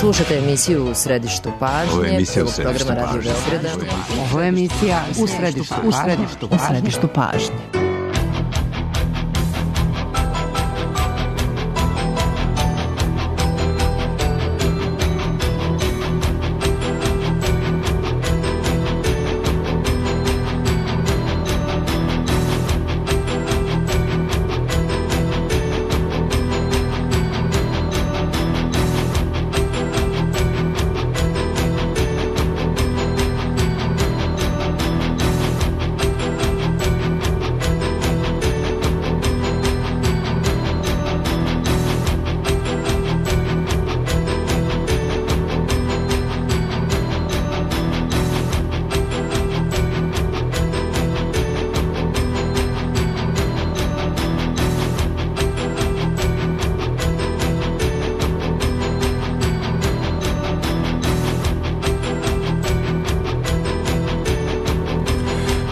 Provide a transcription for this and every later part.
Slušate emisiju U središtu pažnje, programa Radio Beograda. Ovo je emisija U središtu pažnje.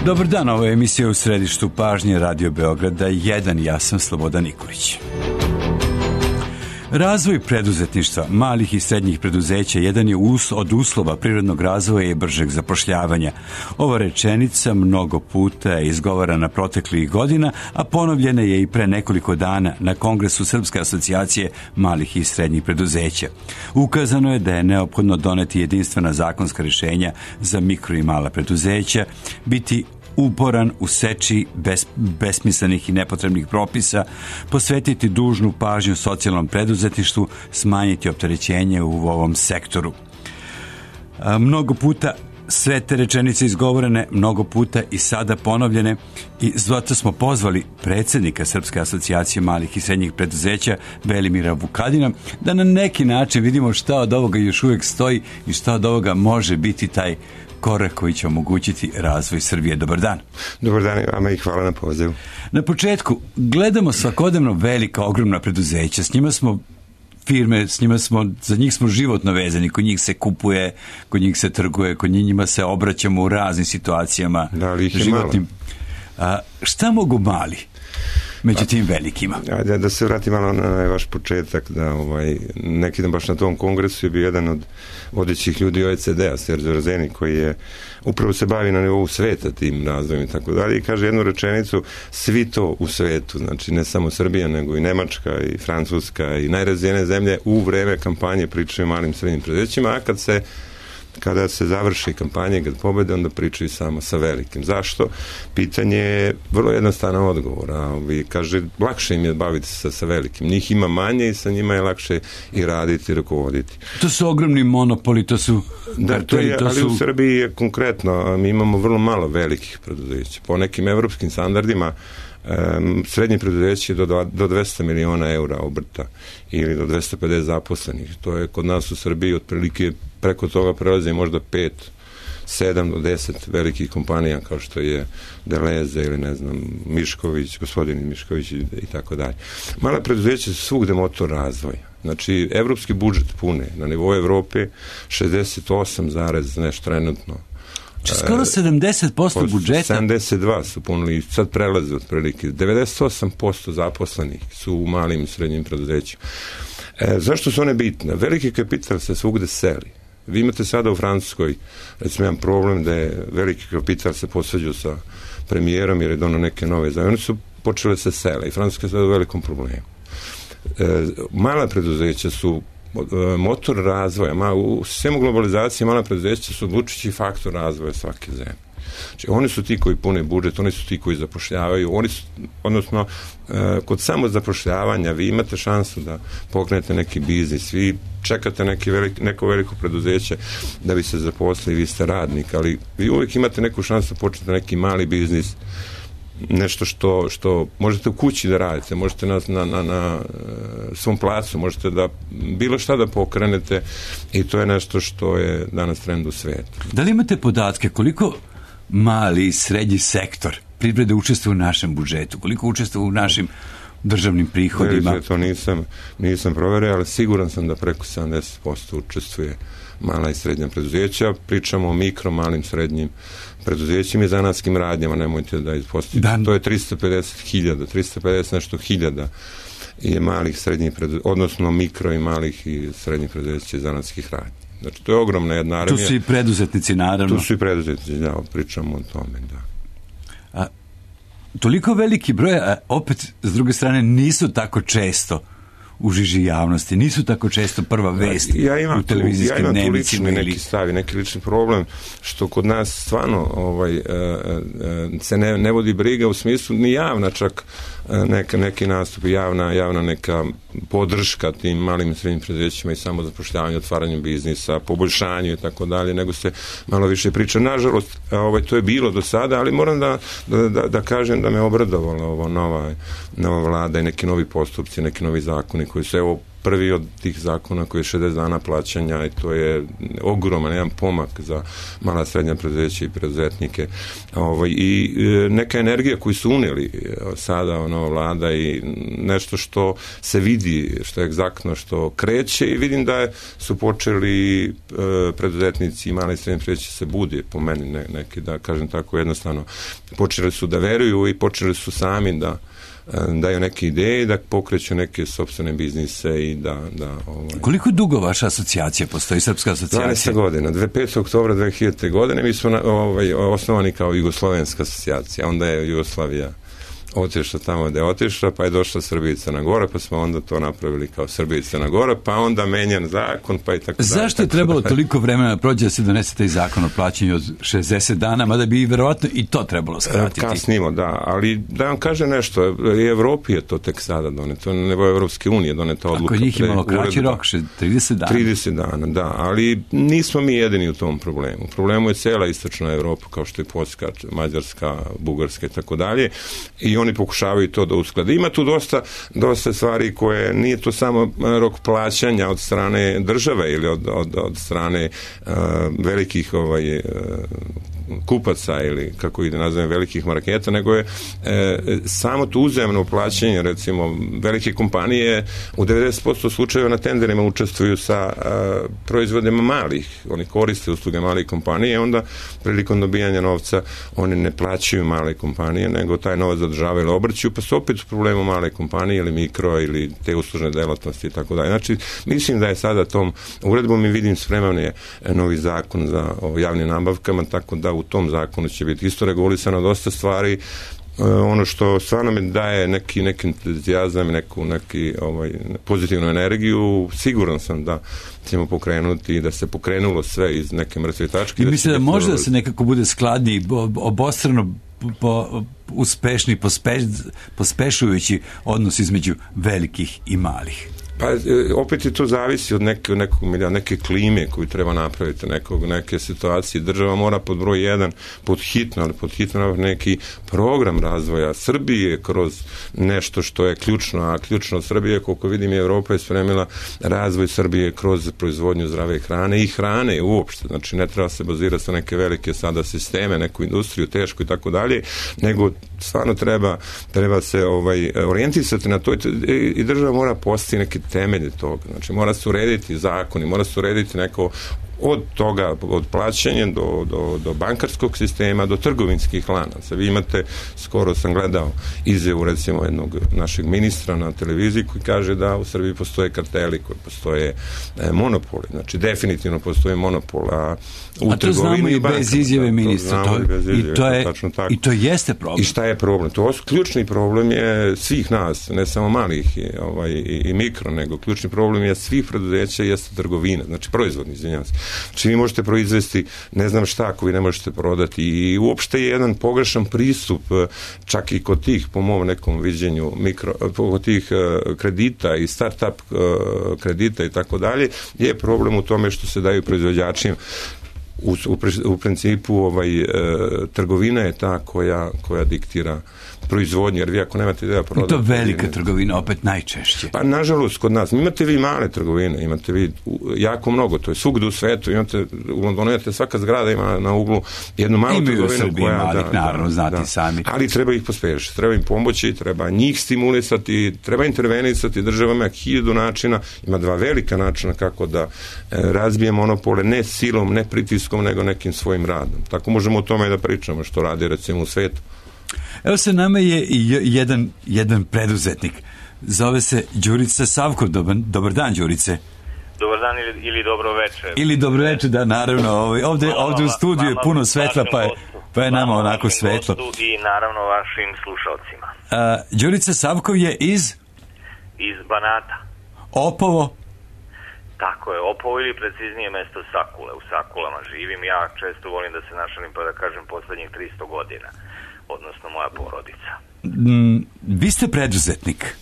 Dobar dan, ovo je emisija U središtu pažnje Radio Beograda 1, ja sam Slobodan Nikolić. Razvoj preduzetništva malih i srednjih preduzeća jedan je od uslova prirodnog razvoja i bržeg zapošljavanja. Ova rečenica mnogo puta je izgovarana proteklih godina, a ponovljena je i pre nekoliko dana na Kongresu Srpske asocijacije malih i srednjih preduzeća. Ukazano je da je neophodno doneti jedinstvena zakonska rješenja za mikro i mala preduzeća, biti uporan u seči besmislenih i nepotrebnih propisa, posvetiti dužnu pažnju socijalnom preduzetništvu, smanjiti opterećenje u ovom sektoru. Mnogo puta sve te rečenice izgovorene, mnogo puta i sada ponovljene, i zato smo pozvali predsjednika Srpske asocijacije malih i srednjih preduzeća Velimira Vukadina da na neki način vidimo šta od ovoga još uvijek stoji i šta od ovoga može biti taj korak koji će omogućiti razvoj Srbije. Dobar dan. Dobar dan, vama i hvala na pozivu. Na početku, gledamo svakodnevno velika, ogromna preduzeća. S njima smo firme, za njih smo životno vezani, kod njih se kupuje, kod njih se trguje, kod njima se obraćamo u raznim situacijama. Da, ali ih je životnim. Šta mogu mali među tim velikima? Da se vratim malo na vaš početak, da neki dan baš na tom kongresu je bio jedan od vodećih ljudi OECD-a, Sergio Razeni, koji je upravo se bavi na nivou sveta tim razvojem i tako dalje, i kaže jednu rečenicu: svi to u svetu, znači ne samo Srbija, nego i Nemačka i Francuska i najrazvijenije zemlje u vreme kampanje pričaju o malim srednjim preduzećima, a kada se završi kampanja, kad pobede, onda pričaju samo sa velikim. Zašto? Pitanje je vrlo jednostavan odgovor. Kaže, lakše im je baviti se sa velikim. Njih ima manje i sa njima je lakše i raditi i rukovoditi. To su ogromni monopoli, to su... Ali u Srbiji je konkretno, mi imamo vrlo malo velikih preduzeća. Po nekim evropskim standardima srednje preduzeće do 200 miliona eura obrta ili do 250 zaposlenih. To je kod nas u Srbiji otprilike preko toga prelazi možda 5, 7 do 10 velikih kompanija kao što je Deleze ili ne znam Mišković, gospodin Mišković i tako dalje. Mala preduzeća su svugde motor razvoja. Znači, evropski budžet pune na nivou Evrope 68, nešto trenutno. Skoro 70% budžeta. 72 su punili, sad prelaze otprilike. 98% zaposlenih su u malim i srednjim preduzećima. Zašto su one bitne? Veliki kapital se svugde seli. Vi imate sada u Francuskoj, recimo, jedan problem da je veliki kapital se posvađao sa premijerom jer je donao neke nove zajmove. Oni su počeli se sele i Francuska je sada u velikom problemu. Mala preduzeća su motor razvoja. U sistemu globalizacije mala preduzeća su odlučujući faktor razvoja svake zemlje. Znači, oni su ti koji pune budžet, oni su ti koji zapošljavaju, odnosno kod samozapošljavanja vi imate šansu da pokrenete neki biznis, vi čekate neko veliko preduzeće da bi se zaposlili, vi ste radnik, ali vi uvijek imate neku šansu da počnete neki mali biznis, nešto što možete u kući da radite, možete na svom placu, možete da bilo šta da pokrenete, i to je nešto što je danas trend u svijetu. Da li imate podatke koliko mali i srednji sektor privrede učestvuje u našem budžetu, koliko učestvuje u našim državnim prihodima? To nisam proverio, ali siguran sam da preko 70% učestvuje mala i srednja preduzeća. Pričamo o mikro, malim, srednjim preduzećima i zanatskim radnjama, nemojte da ispostavite. To je 350 nešto hiljada je malih, srednjih preduzeća, odnosno mikro i malih i srednjih preduzeća zanatskih radnji. Znači, to je ogromna jedna armija. Tu su i preduzetnici, naravno. Tu su i preduzetnici, da, pričamo o tome, da. Toliko veliki broj, a opet, s druge strane, nisu tako često u žiži javnosti, nisu tako često prva vest u televizijskim dnevnicima. Ja imam tu neki stavi, neki lični problem, što kod nas stvarno se ne vodi briga u smislu ni javna čak neki nastup, javna neka podrška tim malim i srednjim preduzećima i samozapošljavanju, otvaranju biznisa, poboljšanju i tako dalje, nego se malo više priča. Nažalost, to je bilo do sada, ali moram da kažem da me obradovala ovo nova vlada i neki novi postupci, neki novi zakoni koji su, evo, prvi od tih zakona koji je 60 dana plaćanja i to je ogroman jedan pomak za mala srednja preduzeća i preduzetnike. I neka energija koju su unijeli sada nova vlada i nešto što se vidi, što je egzaktno, što kreće i vidim da su počeli preduzetnici i mala i srednja preduzeća se budi, po meni neki, da kažem tako jednostavno, počeli su da veruju i počeli su sami da daju neke ideje, da pokreću neke sopstvene biznise i da Koliko dugo vaša asocijacija postoji, Srpska asocijacija? 12 godina. 5. oktobra 2000. godine mi smo osnovani kao Jugoslovenska asocijacija. Onda je Jugoslavija otišla tamo gde je otišla, pa je došla Srbija i Crna Gora, pa smo onda to napravili kao Srbija i Crna Gora, pa onda menjan zakon, pa i tako dalje. Zašto je trebalo toliko vremena da prođe da se donese taj zakon o plaćanju od 60 dana, mada bi verovatno i to trebalo skratiti? Kasnimo, da, ali da vam kažem nešto, i Evropi je to tek sada doneto, nebo Evropske unije doneta odluka. Ako njih imalo kraći rok, 30 dana. 30 dana, da, ali nismo mi jedini u tom problemu. Problemu je cela istočna Evropa, kao što je Poljska, Mađarska, Bugarska i tako dalje, i oni pokušavaju to da usklade. Ima tu dosta stvari koje, nije to samo rok plaćanja od strane države ili od strane velikih kupaca ili kako ide nazovem velikih marketa, nego je samo to uzajamno plaćanje, recimo velike kompanije u 90% slučajeva na tenderima učestvuju sa proizvodima malih, oni koriste usluge malih kompanije, onda prilikom dobijanja novca oni ne plaćaju male kompanije, nego taj novac zadržavaju ili obrću, pa su opet u problemu male kompanije ili mikro ili te uslužne delatnosti i tako dalje. Znači, mislim da je sada tom uredbom i vidim spreman je novi zakon o javnim nabavkama, tako da u tom zakonu će biti isto regulisano dosta stvari. Ono što stvarno mi daje neki entuzijazam, neku pozitivnu energiju, siguran sam da ćemo pokrenuti i da se pokrenulo sve iz neke mrtve tačke. I mislim da može da se nekako bude skladniji, obostrano uspešni, pospešujući odnos između velikih i malih. Pa opet je to zavisi od neke klime koju treba napraviti, neke situacije. Država mora pod broj 1, pod hitno neki program razvoja Srbije kroz nešto što je ključno, a ključno Srbije, koliko vidim, Evropa je spremila razvoj Srbije kroz proizvodnju zdrave hrane i hrane uopšte. Znači, ne treba se bazirati sa neke velike sada sisteme, neku industriju, tešku i tako dalje, nego stvarno treba se orijentisati na to i država mora postići neke temelje toga. Znači, mora se urediti zakoni, mora se urediti neko od toga, od plaćanja do bankarskog sistema, do trgovinskih lanaca. Vi imate, skoro sam gledao izjavu recimo jednog našeg ministra na televiziji koji kaže da u Srbiji postoje karteli, koji postoje monopoli. Znači, definitivno postoje monopol, a to znamo i bez izjave ministra. I to jeste problem. I šta je problem? Ključni problem je svih nas, ne samo malih i mikro, nego ključni problem je svih preduzeća jeste trgovina, znači proizvodni, izvinjavam se. Znači, vi možete proizvesti ne znam šta ako vi ne možete prodati i uopšte je jedan pogrešan pristup čak i kod tih, po mom nekom viđenju, kod tih kredita i start-up kredita i tako dalje, je problem u tome što se daju proizvođačima. U principu trgovina je ta koja diktira proizvodnju, jer vi ako nemate ideja prodati... I to velika trgovina, opet najčešće. Pa nažalost kod nas, imate vi male trgovine, imate vi jako mnogo, to je svugde u svetu, u Londonu imate svaka zgrada ima na uglu jednu malu trgovinu. Imaju u Srbiji malih, naravno, znati sami. Ali treba ih pospešiti, treba im pomoći, treba njih stimulisati, treba intervenisati, država ima 1000 načina, ima 2 velika načina kako da razbije monopole, ne silom, ne pritiskom, nego nekim svojim radom. Tako možemo o tome da pričamo što radi recimo u svetu. Evo sa nama je jedan preduzetnik Zove se Đurica Savkov. Dobar dan, Đurice. Dobar dan ili dobro večer. Ili dobro večer, da, naravno. Ovdje u studiju je puno svetla, pa je nama onako svetlo. I naravno vašim slušalcima. Đurica Savkov je iz Banata. Opovo? Tako je, Opovo ili preciznije mesto Sakule. U Sakulama živim. Ja često volim da se našalim pa da kažem poslednjih 300 godina. Odnosno moja porodica. Vi ste preduzetnik?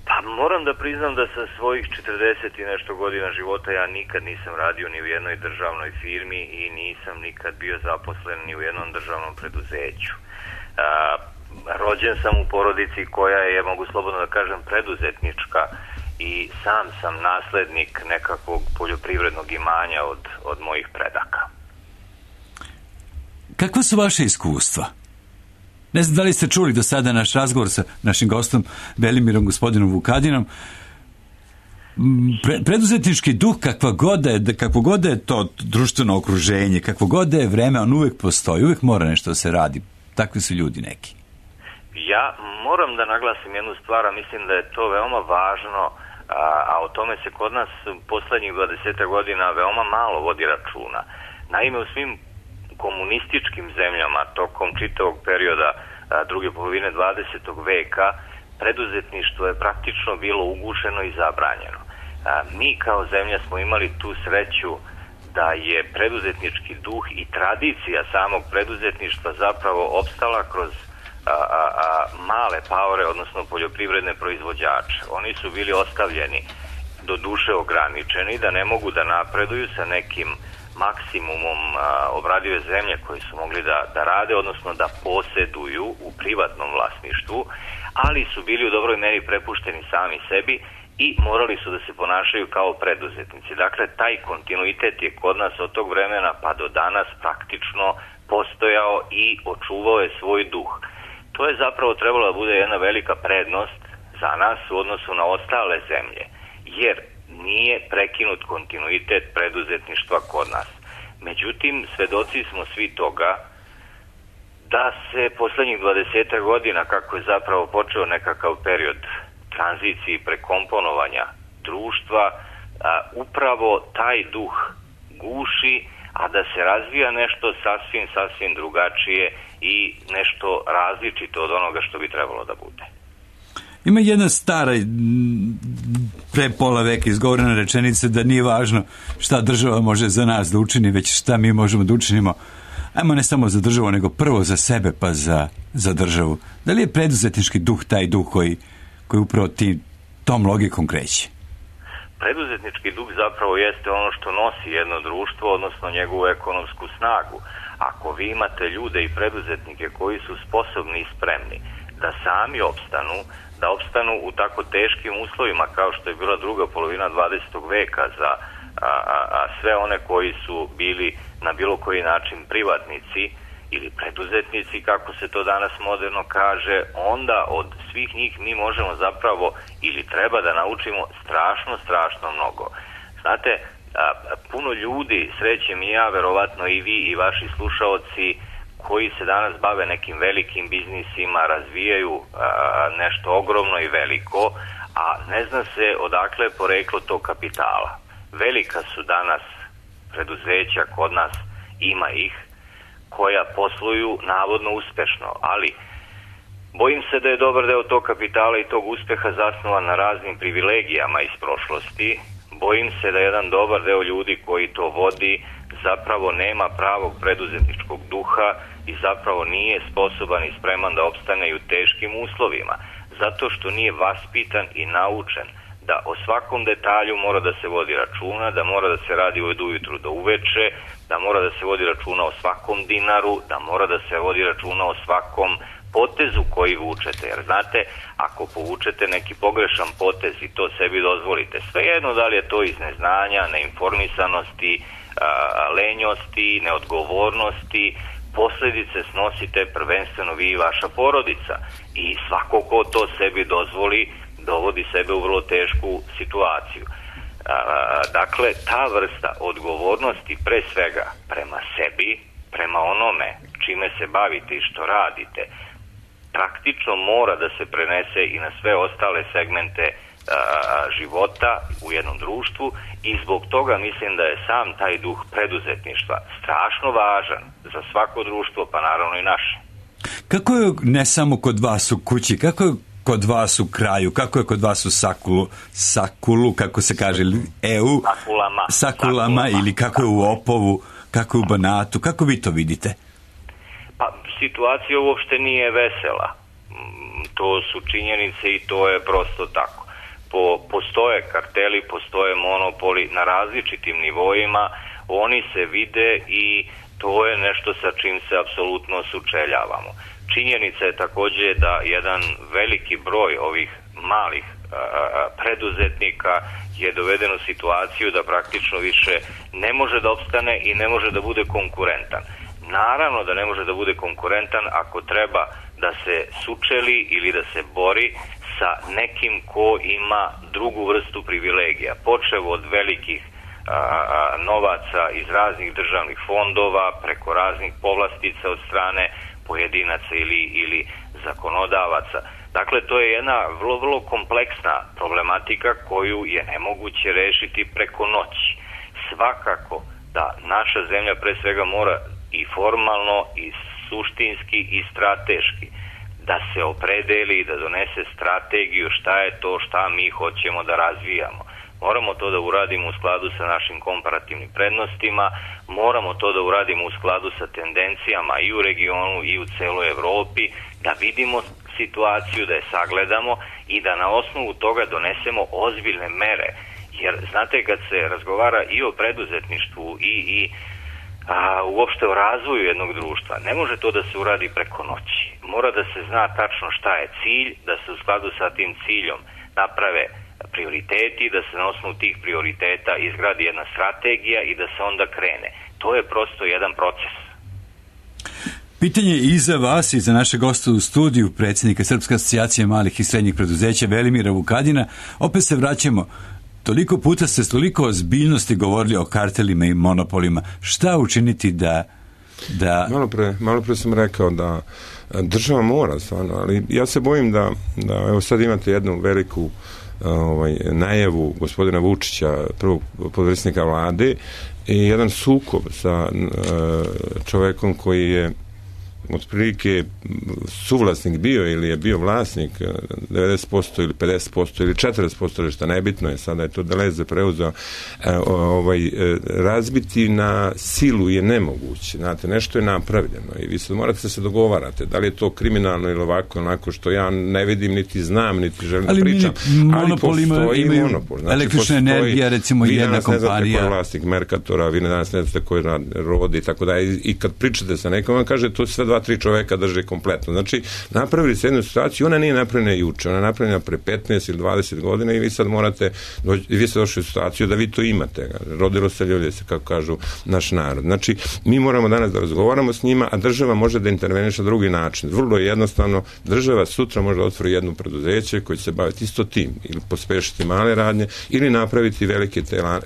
Pa moram da priznam da sa svojih 40 i nešto godina života ja nikad nisam radio ni u jednoj državnoj firmi i nisam nikad bio zaposlen ni u jednom državnom preduzeću. Rođen sam u porodici koja je, mogu slobodno da kažem, preduzetnička i sam sam naslednik nekakvog poljoprivrednog imanja od mojih predaka. Kakva su vaše iskustva? Ne znam da li ste čuli do sada naš razgovor sa našim gostom Velimirom gospodinom Vukadinom. Preduzetnički duh, kakvo god je to društveno okruženje, kakvo god je vreme, on uvek postoji, uvek mora nešto da se radi. Takvi su ljudi neki. Ja moram da naglasim jednu stvar, a mislim da je to veoma važno, a o tome se kod nas poslednjih 20 godina veoma malo vodi računa. Naime, u svim komunističkim zemljama tokom čitavog perioda druge polovine 20. veka preduzetništvo je praktično bilo ugušeno i zabranjeno. Mi kao zemlja smo imali tu sreću da je preduzetnički duh i tradicija samog preduzetništva zapravo opstala kroz male paore, odnosno poljoprivredne proizvođače. Oni su bili ostavljeni do duše ograničeni, da ne mogu da napreduju sa nekim maksimumom obradive zemlje koje su mogli da rade, odnosno da poseduju u privatnom vlasništvu, ali su bili u dobroj meri prepušteni sami sebi i morali su da se ponašaju kao preduzetnici. Dakle, taj kontinuitet je kod nas od tog vremena pa do danas praktično postojao i očuvao je svoj duh. To je zapravo trebalo da bude jedna velika prednost za nas u odnosu na ostale zemlje, jer nije prekinut kontinuitet preduzetništva kod nas. Međutim, svedoci smo svi toga da se poslednjih 20 godina, kako je zapravo počeo nekakav period tranzicije i prekomponovanja društva, upravo taj duh guši, a da se razvija nešto sasvim drugačije i nešto različito od onoga što bi trebalo da bude. Ima jedna stara, pre pola veka izgovorena rečenica da nije važno šta država može za nas da učini, već šta mi možemo da učinimo, ajmo ne samo za državu, nego prvo za sebe pa za državu. Da li je preduzetnički duh taj duh koji upravo tom logikom kreće? Preduzetnički duh zapravo jeste ono što nosi jedno društvo, odnosno njegovu ekonomsku snagu. Ako vi imate ljude i preduzetnike koji su sposobni i spremni da sami opstanu u tako teškim uslovima kao što je bila druga polovina 20. veka za sve one koji su bili na bilo koji način privatnici ili preduzetnici, kako se to danas moderno kaže, onda od svih njih mi možemo zapravo ili treba da naučimo strašno mnogo. Znate, puno ljudi, srećem i ja, verovatno i vi i vaši slušaoci, koji se danas bave nekim velikim biznisima, razvijaju nešto ogromno i veliko, a ne zna se odakle je poreklo tog kapitala. Velika su danas preduzeća kod nas, ima ih, koja posluju navodno uspešno, ali bojim se da je dobar deo tog kapitala i tog uspeha zasnovan na raznim privilegijama iz prošlosti. Bojim se da jedan dobar deo ljudi koji to vodi zapravo nema pravog preduzetničkog duha i zapravo nije sposoban i spreman da opstane i u teškim uslovima, zato što nije vaspitan i naučen da o svakom detalju mora da se vodi računa, da mora da se radi od ujutru do uveče, da mora da se vodi računa o svakom dinaru, da mora da se vodi računa o svakom potezu koji vučete. Jer znate, ako povučete neki pogrešan potez i to sebi dozvolite, svejedno da li je to iz neznanja, neinformisanosti, lenjosti, neodgovornosti, posledice snosite prvenstveno vi i vaša porodica. I svako ko to sebi dozvoli, dovodi sebe u vrlo tešku situaciju. Dakle, ta vrsta odgovornosti pre svega prema sebi, prema onome čime se bavite i što radite, praktično mora da se prenese i na sve ostale segmente života u jednom društvu i zbog toga mislim da je sam taj duh preduzetništva strašno važan za svako društvo, pa naravno i naše. Kako je ne samo kod vas u kući, kako je kod vas u kraju, kako je kod vas u Sakulu, kako se kaže, Sakulama ili kako je u Opovu, kako je u Banatu, kako vi to vidite? Pa situacija uopšte nije vesela. To su činjenice i to je prosto tako. Postoje karteli, postoje monopoli na različitim nivoima, oni se vide i to je nešto sa čim se apsolutno sučeljavamo. Činjenica je također da jedan veliki broj ovih malih preduzetnika je doveden u situaciju da praktično više ne može da opstane i ne može da bude konkurentan. Naravno da ne može da bude konkurentan ako treba da se sučeli ili da se bori sa nekim ko ima drugu vrstu privilegija, počev od velikih novaca iz raznih državnih fondova, preko raznih povlastica od strane pojedinaca ili zakonodavaca. Dakle, to je jedna vrlo, vrlo kompleksna problematika koju je nemoguće rešiti preko noći. Svakako da naša zemlja pre svega mora i formalno i suštinski i strateški da se opredeli i da donese strategiju šta je to šta mi hoćemo da razvijamo. Moramo to da uradimo u skladu sa našim komparativnim prednostima, moramo to da uradimo u skladu sa tendencijama i u regionu i u celoj Evropi, da vidimo situaciju, da je sagledamo i da na osnovu toga donesemo ozbiljne mere. Jer, znate, kad se razgovara i o preduzetništvu i uopšte o razvoju jednog društva, ne može to da se uradi preko noći. Mora da se zna tačno šta je cilj, da se u skladu sa tim ciljom naprave prioriteti, da se na osnovu tih prioriteta izgradi jedna strategija i da se onda krene. To je prosto jedan proces. Pitanje i za vas i za naše goste u studiju, predsjednika Srpske asocijacije malih i srednjih preduzeća Velimira Vukadina. Opet se vraćamo. Toliko puta ste s toliko ozbiljnosti govorili o kartelima i monopolima. Šta učiniti da... Malo pre sam rekao da država mora stvarno, ali ja se bojim da evo sad imate jednu veliku najavu gospodina Vučića, prvog potpredsjednika vlade, i jedan sukob sa čovekom koji je otprilike suvlasnik bio ili je bio vlasnik 90% ili 50% ili 40%, ili šta nebitno je, sada je to Deleze preuzeo, razbiti na silu je nemoguće. Znate, nešto je napravljeno i vi sad morate se dogovarate, da li je to kriminalno ili ovako, onako što ja ne vidim, niti znam, niti želim da pričam. Ali postoji monopol. Znači, električna energija, recimo, jedna kompanija. Vi danas ne znate ko je vlasnik Merkatora, vi danas ne znate ko je rodi i tako da. I kad pričate sa nekom, vam kaže to sve 2-3 čoveka drže kompletno. Znači, napravili se jednu situaciju, ona nije napravljena juče, ona je napravljena pre 15 ili 20 godina i vi sad morate, vi ste došli u situaciju da vi to imate. Rodilo se ljulje se, kako kažu naš narod. Znači, mi moramo danas da razgovaramo s njima, a država može da interveniše na drugi način. Vrlo je jednostavno, država sutra može da otvori jedno preduzeće koje će se baviti isto tim, ili pospešiti male radnje, ili napraviti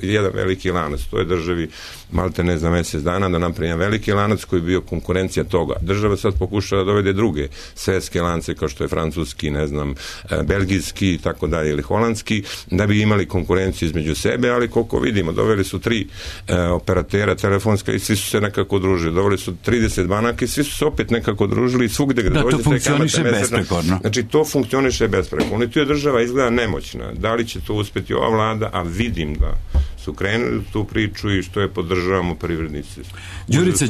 jedan veliki lanac. To je državi malte ne za mjesec dana da napravi jedan veliki lanac koji je bio konkurencija toga. Država sad pokušava da dovede druge svetske lance kao što je francuski, ne znam, belgijski i tako dalje, ili holandski, da bi imali konkurenciju između sebe, ali koliko vidimo, doveli su 3 operatera telefonska i svi su se nekako družili. Doveli su 30 banaka i svi su se opet nekako družili i svugde gde dođete. Da, to funkcioniše besprekorno. Znači, to funkcioniše besprekorno. I tu je država izgleda nemoćna. Da li će to uspeti ova vlada, a vidim da su krenuli tu priču i što je podržavamo privrednici.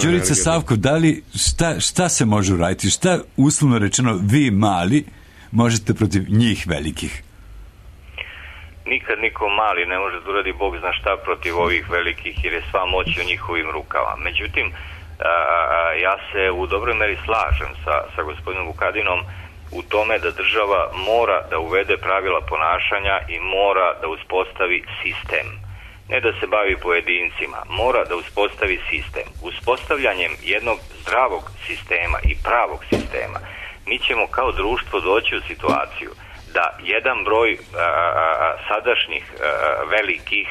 Đurica Savkov, da li, šta se može uraditi? Šta, uslovno rečeno, vi mali možete protiv njih velikih? Nikad niko mali ne može da uradi Bog zna šta protiv ovih velikih, jer je sva moć u njihovim rukama. Međutim, ja se u dobroj meri slažem sa gospodinom Vukadinom u tome da država mora da uvede pravila ponašanja i mora da uspostavi sistem. Ne da se bavi pojedincima, mora da uspostavi sistem. Uspostavljanjem jednog zdravog sistema i pravog sistema mi ćemo kao društvo doći u situaciju da jedan broj sadašnjih velikih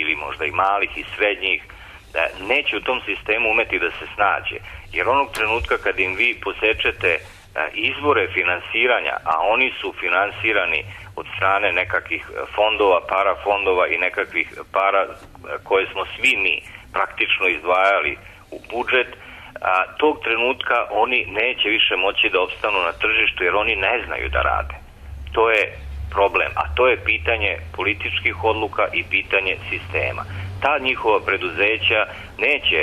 ili možda i malih i srednjih neće u tom sistemu umeti da se snađe. Jer onog trenutka kad im vi posečete izvore finansiranja, a oni su finansirani od strane nekakvih fondova, parafondova i nekakvih para koje smo svi mi praktično izdvajali u budžet, tog trenutka oni neće više moći da opstanu na tržištu jer oni ne znaju da rade. To je problem, a to je pitanje političkih odluka i pitanje sistema. Ta njihova preduzeća neće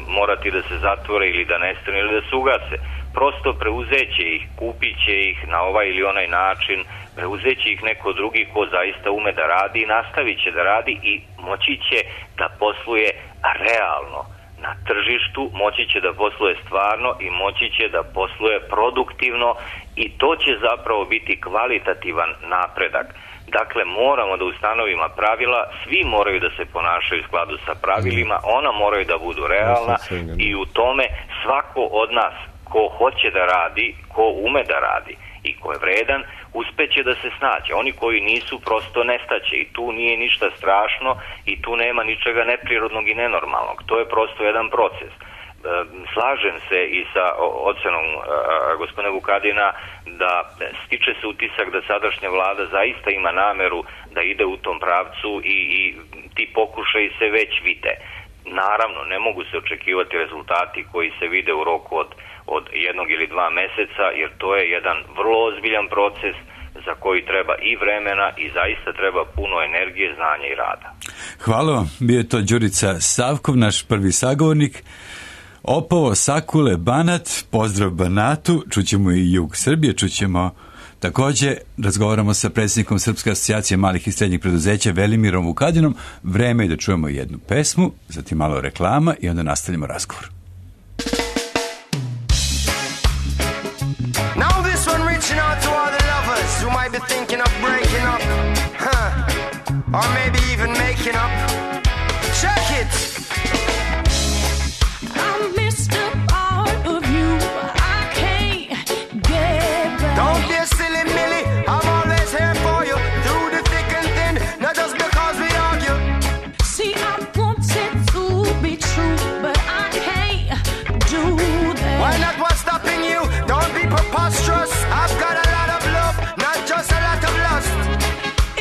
morati da se zatvore ili da nestanu ili da se ugase. Prosto preuzeće ih, kupit će ih na ovaj ili onaj način, preuzeće ih neko drugi ko zaista ume da radi i nastavit će da radi i moći će da posluje realno na tržištu, moći će da posluje stvarno i moći će da posluje produktivno i to će zapravo biti kvalitativan napredak. Dakle, moramo da ustanovimo pravila, svi moraju da se ponašaju u skladu sa pravilima, ona moraju da budu realna i u tome svako od nas ko hoće da radi, ko ume da radi i ko je vredan, uspeće da se snađe. Oni koji nisu, prosto nestaće i tu nije ništa strašno i tu nema ničega neprirodnog i nenormalnog. To je prosto jedan proces. Slažem se i sa ocenom gospodina Vukadina da stiče se utisak da sadašnja vlada zaista ima nameru da ide u tom pravcu i ti pokušaji se već vide. Naravno, ne mogu se očekivati rezultati koji se vide u roku od 1 ili 2 meseca, jer to je jedan vrlo ozbiljan proces za koji treba i vremena i zaista treba puno energije, znanja i rada. Hvala vam. Bio je to Đurica Savkov, naš prvi sagovornik. Opovo, Sakule, Banat, pozdrav Banatu, čućemo i jug Srbije, čućemo također, razgovaramo sa predsjednikom Srpske asocijacije malih i srednjih preduzeća Velimirom Vukadinom. Vreme je da čujemo jednu pesmu, zatim malo reklama i onda nastavljamo razgovor. Now this one reaching out to all the lovers who might be thinking of breaking up, or maybe even making up. Check it! I missed a part of you, I can't get back. Don't be a silly Millie, I'm always here for you, through the thick and thin, not just because we argue. See, I want it to be true, but I can't do that. Why not? What's stopping you? Don't be preposterous. I've got a lot of love, not just a lot of lust.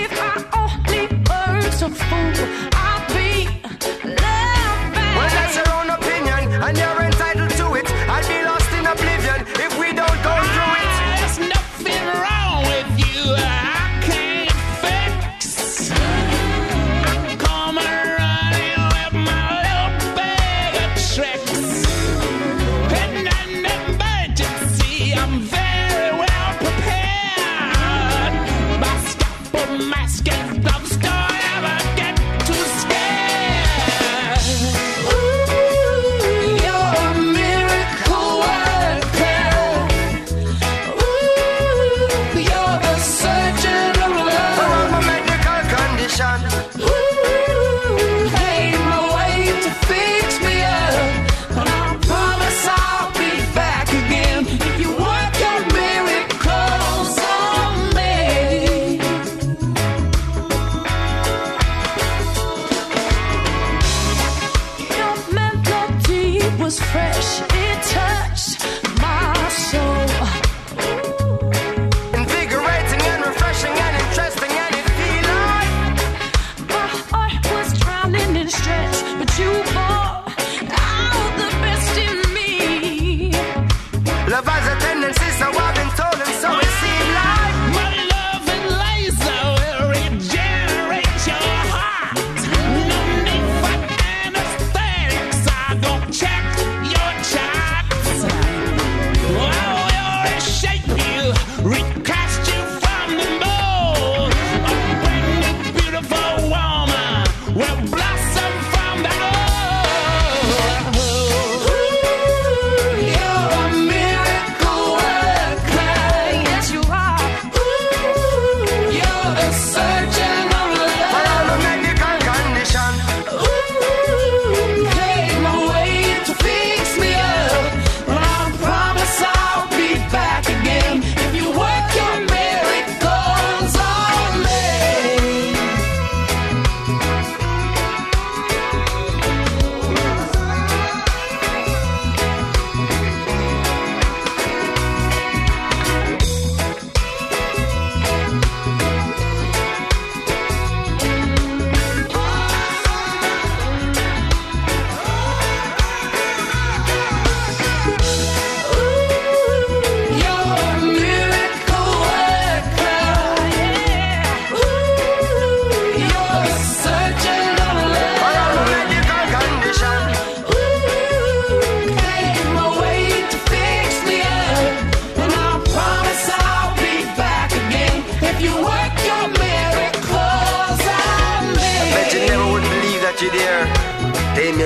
If I only were so fool, I'd be left.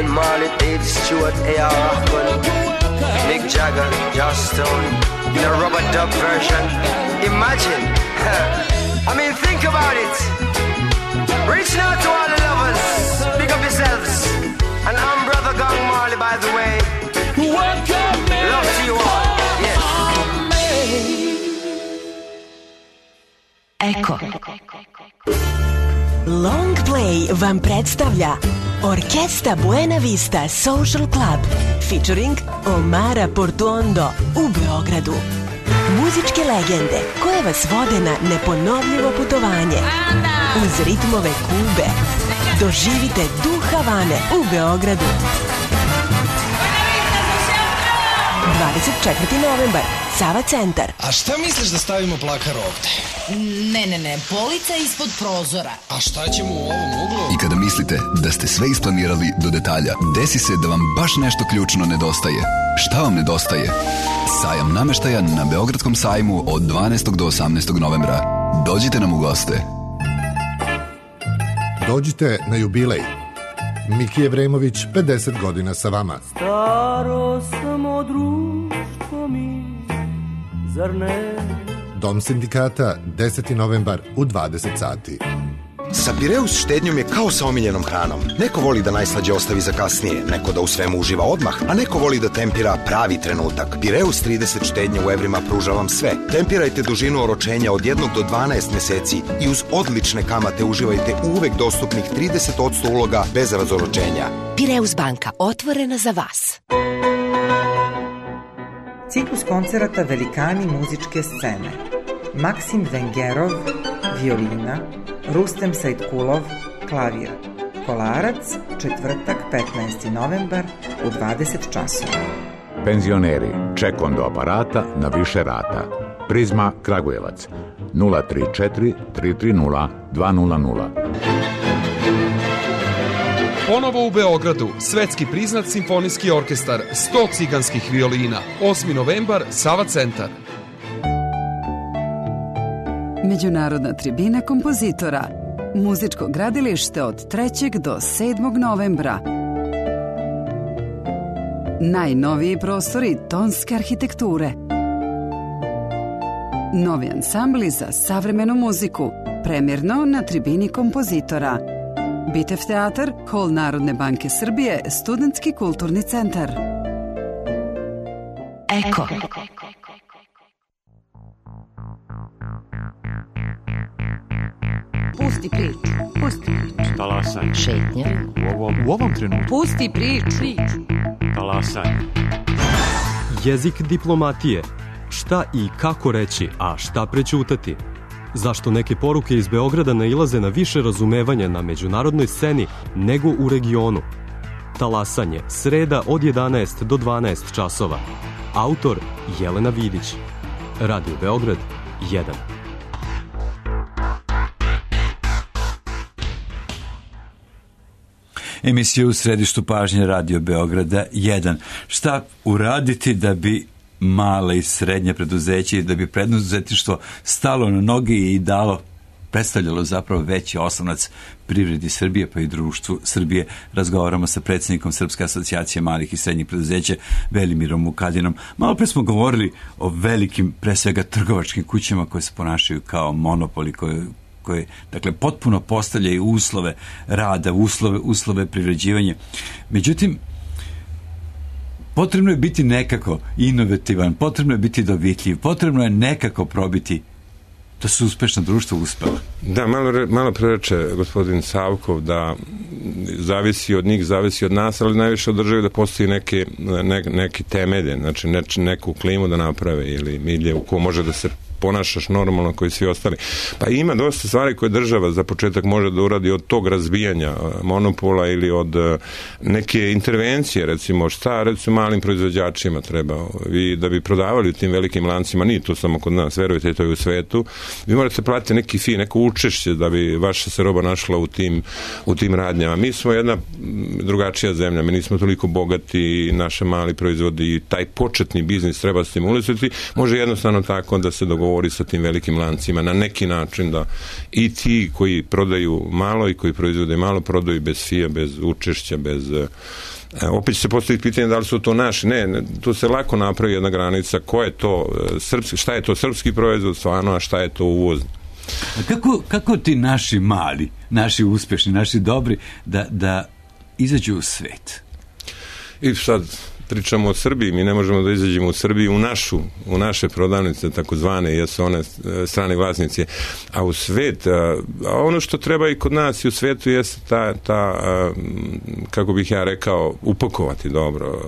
Bob Marley, Dave Stewart, A.R. Rahman, Mick Jagger, Joss Stone, in a rubber dub version. Imagine, I mean, think about it. Reaching out to all the lovers, pick up yourselves. And I'm Brother Gang Marley, by the way. Love to you all. Yes. Eko. Long Play vam predstavlja Orkesta Buena Vista Social Club featuring Omara Portuondo u Beogradu. Muzičke legende koje vas vode na neponovljivo putovanje uz ritmove Kube. Doživite duh Havane u Beogradu. 24. novembar, Sava centar. A šta misliš da stavimo plakar ovde? Ne, polica ispod prozora. A šta ćemo u ovom uglu? I kada mislite da ste sve isplanirali do detalja, desi se da vam baš nešto ključno nedostaje. Šta vam nedostaje? Sajam nameštaja na Beogradskom sajmu od 12. do 18. novembra. Dođite nam u goste. Dođite na jubilej. Miki Jevremović, 50 godina sa vama. Staro samo društvo mi, zar ne? Dom sindikata, 10. novembar u 20 sati. Sa Pireus štednjom je kao sa omiljenom hranom. Neko voli da najslađe ostavi za kasnije, neko da u svemu uživa odmah, a neko voli da tempira pravi trenutak. Pireus 30 štednje u evrima pruža vam sve. Tempirajte dužinu oročenja od 1 do 12 meseci i uz odlične kamate uživajte uvek dostupnih 30% uloga bez razoročenja. Pireus banka, otvorena za vas. Ciklus koncerata Velikani muzičke scene. Maksim Vengerov, violina, Rustem Sajtkulov, klavir. Kolarac, četvrtak, 15. novembar u 20 časova. Penzioneri, ček on do aparata na više rata. Prizma Kragujevac, 034 330 200. Ponovo u Beogradu, svetski priznat simfonijski orkestar, 100 ciganskih violina, 8. novembar, Sava centar. Međunarodna tribina kompozitora. Muzičko gradilište od 3. do 7. novembra. Najnoviji prostori tonske arhitekture. Novi ansambli za savremenu muziku. Premjerno na tribini kompozitora. Bitev teatar, Hol Narodne banke Srbije, Studentski kulturni centar. Eko. Pusti priču. Talasanje. Šetnja. U ovom trenutku. Pusti priču. Talasanje. Jezik diplomatije. Šta i kako reći, a šta prećutati? Zašto neke poruke iz Beograda nailaze na više razumevanja na međunarodnoj sceni nego u regionu? Talasanje, sreda od 11 do 12 časova. Autor Jelena Vidić. Radio Beograd 1. Emisiju u središtu pažnje Radio Beograda 1. Šta uraditi da bi mala i srednja preduzeća i da bi preduzetništvo stalo na noge i predstavljalo zapravo veći oslonac privredi Srbije pa i društvu Srbije. Razgovaramo sa predsjednikom Srpske asocijacije malih i srednjih preduzeća Velimirom Vukadinom. Malo pre smo govorili o velikim, pre svega trgovačkim kućama koje se ponašaju kao monopoli, koje dakle potpuno postavljaju uslove rada, uslove privređivanja. Međutim, potrebno je biti nekako inovativan, potrebno je biti dovitljiv, potrebno je nekako probiti da su uspešna društva uspela. Da, malo prereče gospodin Savkov da zavisi od njih, zavisi od nas, ali najviše od države da postoji neke temelje, znači neku klimu da naprave ili milje u ko može da se ponašaš normalno koji svi ostali. Pa ima dosta stvari koje država za početak može da uradi od tog razbijanja monopola ili od neke intervencije, recimo malim proizvođačima treba. Vi da bi prodavali u tim velikim lancima, nije to samo kod nas, verujte, to je u svetu, vi morate platiti neki fee, neko učešće da bi vaša se roba našla u tim radnjama. Mi smo jedna drugačija zemlja, mi nismo toliko bogati, naše mali proizvodi i taj početni biznis treba stimulisati, može jednostavno tako da se dogovori dogovori sa tim velikim lancima na neki način da i ti koji prodaju malo i koji proizvode malo prodaju bez fija, bez učešća, bez... Opet će se postaviti pitanje da li su to naši. Ne, tu se lako napravi jedna granica. Ko je to srpski, šta je to srpski proizvod stvarno, a šta je to uvozni. A kako ti naši mali, naši uspješni, naši dobri da izađu u svet? I sad pričamo o Srbiji, mi ne možemo da izađemo u Srbiju u naše prodavnice takozvane, jesu one strane vlasnici, a u svet, a ono što treba i kod nas i u svetu jeste ta kako bih ja rekao, upakovati dobro,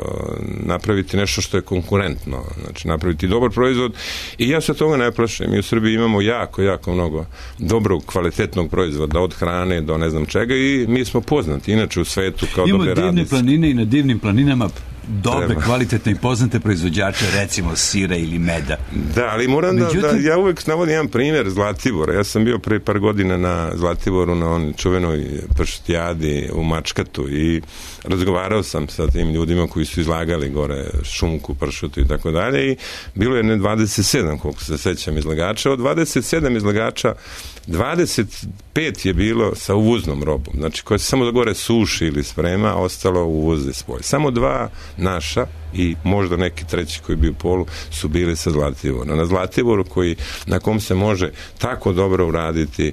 napraviti nešto što je konkurentno, znači napraviti dobar proizvod i ja se toga ne plašim. Mi u Srbiji imamo jako mnogo dobrog, kvalitetnog proizvoda, od hrane do ne znam čega i mi smo poznati inače u svetu kao dobre radnice. Imamo divne planine i na divnim planinama dobre, kvalitetne i poznate proizvođače, recimo sira ili meda. Da, ali moram da ja uvek navodim jedan primjer Zlatibora. Ja sam bio pre par godina na Zlatiboru na onoj čuvenoj pršutijadi u Mačkatu i razgovarao sam sa tim ljudima koji su izlagali gore šunku, pršutu i tako dalje i bilo je 27, koliko se sećam, izlagača. Od 27 izlagača 25 je bilo sa uvoznom robom, znači koja se samo da gore suši ili sprema, ostalo uvoze spolje. Samo 2 naša i možda neki treći koji bi u polu su bili sa Zlatiborom. Na Zlatiboru na kom se može tako dobro uraditi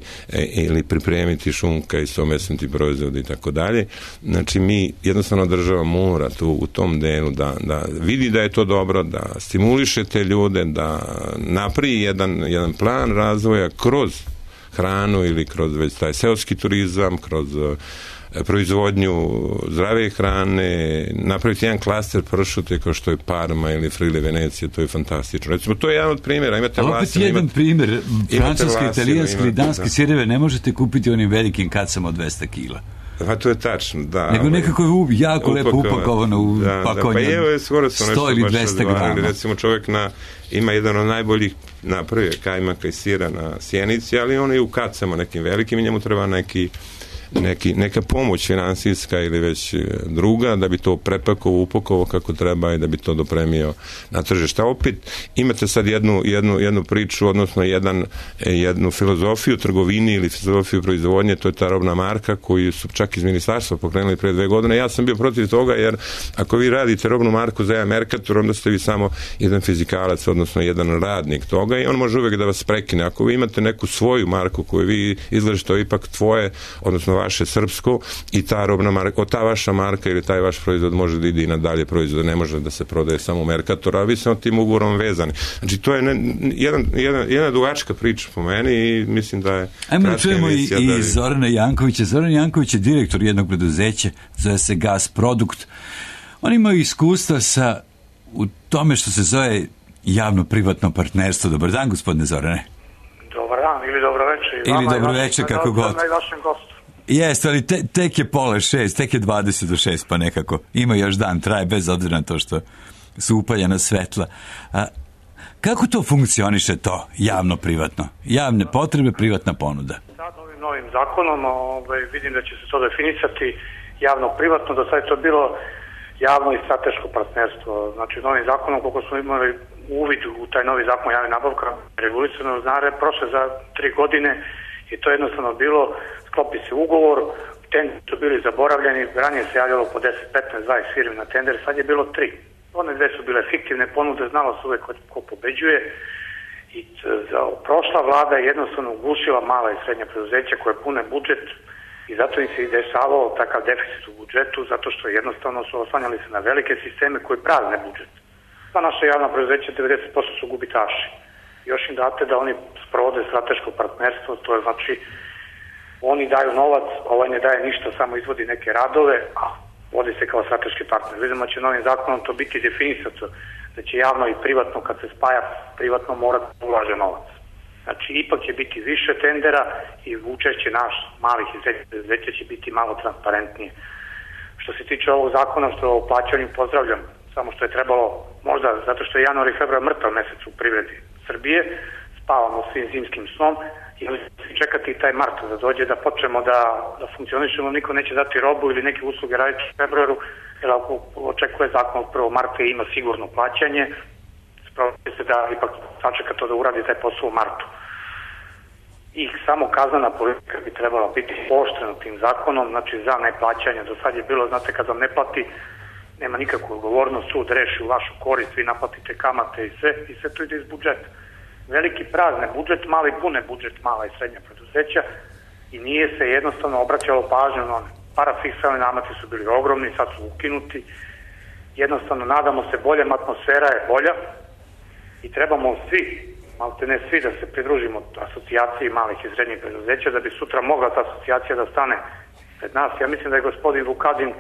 ili pripremiti šunka i somesnuti proizvodi i tako dalje. Znači mi jednostavno država mora tu u tom delu da vidi da je to dobro, da stimuliše te ljude, da napravi jedan plan razvoja kroz hranu ili kroz već taj seoski turizam, kroz proizvodnju zdrave hrane, napraviti jedan klaster pršute kao što je Parma ili Friuli Venecija, to je fantastično. Recimo, to je jedan od primjera. Imate opet jedan primjer, francuske, italijanske ili danske sireve ne možete kupiti onim velikim kacama od 200 kila. Pa to je tačno, da. Nego nekako je jako lepo upakovano u pakovanje. Pa evo je skoro sam 100 ili 200 grama. Recimo čovjek ima jedan od najboljih napravio kajmaka i sira na Sjenici, ali on je u kacama nekim velikim i njemu treba neka pomoć finansijska ili već druga da bi to prepakovao, upakovao kako treba i da bi to dopremio na tržište. Opet imate sad jednu priču, odnosno jednu filozofiju trgovini ili filozofiju proizvodnje, to je ta robna marka koju su čak iz ministarstva pokrenuli pre 2 godine. Ja sam bio protiv toga jer ako vi radite robnu marku za jedan Mercator, onda ste vi samo jedan fizikalac, odnosno jedan radnik toga i on može uvek da vas prekine. Ako vi imate neku svoju marku koju vi izlažete, to je ipak tvoje, odnosno vaše srpsko i ta robna marka, ta vaša marka ili taj vaš proizvod može da ide i na dalje proizvode, ne može da se prodaje samo u Mercatoru, a vi ste tim ugovorom vezani. Znači, to je jedna dugačka priča po meni i mislim da je ajmo da čujemo i Zorana Jankovića. Zoran Janković je direktor jednog preduzeća, zove se Gas Produkt. Oni imaju iskustva u tome što se zove javno-privatno partnerstvo. Dobar dan, gospodine Zorane. Dobar dan ili dobro večer. Ili dobro večer, kako god. Jeste, ali tek je 5:30, tek je 20 do 6, pa nekako ima još dan, traje bez obzira na to što su upaljena svetla. Kako to funkcioniše to, javno-privatno? Javne potrebe, privatna ponuda. Sad ovim novim zakonom vidim da će se to definisati javno-privatno, do sad je to bilo javno i strateško partnerstvo. Znači novim zakonom, koliko smo imali uvid u taj novi zakon o javnim nabavkama, regulisano prošle za 3 godine i to je jednostavno bilo, sklopi se ugovor, tenderi su bili zaboravljeni, ranije se javljalo po 10, 15, 20 firmi na tender, sad je bilo 3. One 2 su bile fiktivne ponude, znalo se uvek ko pobeđuje i prošla vlada je jednostavno ugušila mala i srednja preduzeća koje pune budžet i zato im se i dešavao takav deficit u budžetu, zato što jednostavno su oslanjali se na velike sisteme koji prazne budžet. Sva naša javna preduzeća 90% su gubitaši. Još im date da oni sprovode strateško partnerstvo, to je znači oni daju novac, ovaj ne daje ništa, samo izvodi neke radove, a vodi se kao strateški partner. Vidimo da će novim zakonom to biti definisato, da će javno i privatno, kad se spaja, privatno mora da ulaže novac. Znači, ipak će biti više tendera i učešće naš malih i srednjih preduzeća će biti malo transparentnije. Što se tiče ovog zakona što o plaćanju pozdravljam, samo što je trebalo, možda zato što je januar i februar mrtav mesec u privredi Srbije, spavamo svim zimskim snom i čekati taj mart da dođe da počnemo da funkcionišemo, niko neće dati robu ili neke usluge raditi u februaru, jer ako očekuje zakon od 1. marta ima sigurno plaćanje, Spravite se da ipak sačeka to da uradi taj posao u martu. I samo kaznena politika bi trebala biti pooštrena tim zakonom, znači za neplaćanje. Do sad je bilo, znate, kad vam ne plati, nema nikakvu odgovornost, sud reši u vašu korist, vi naplatite kamate i sve to ide iz budžeta. Veliki prazne budžet, mali pune budžet, mala i srednja preduzeća i nije se jednostavno obraćalo pažnju na one. Parafiskalni nameti su bili ogromni, sad su ukinuti. Jednostavno, nadamo se boljem, atmosfera je bolja i trebamo svi, malte ne svi, da se pridružimo asocijaciji malih i srednjih preduzeća, da bi sutra mogla ta asocijacija da stane pred nas. Ja mislim da je gospodin Vukadin